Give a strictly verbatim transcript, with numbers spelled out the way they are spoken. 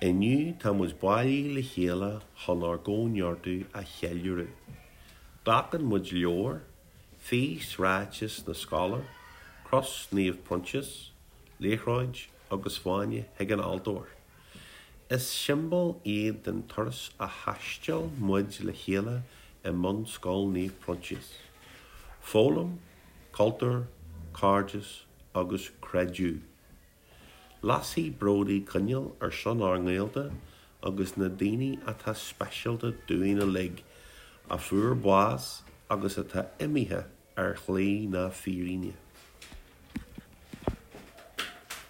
Inniu tá muid bailithe le chéile chun ár gcóineartú a cheiliúradh. Glacann muid leabhar, físráiteas na scoile, Cros Naomh Proinsias, liathróid agus fáinne chuig an altóir. Is siombail iad den turas a thaistil muid le chéile i mBunscoil Naomh Proinsias. Foghlaim, cultúr, cairdeas agus creideamh. Lasfaidh Brodie coinneal ar son ár ngaolta agus na daoine atá speisialta dúinn uilig, a fuair bás agus atá imithe ar shlí na fírinne.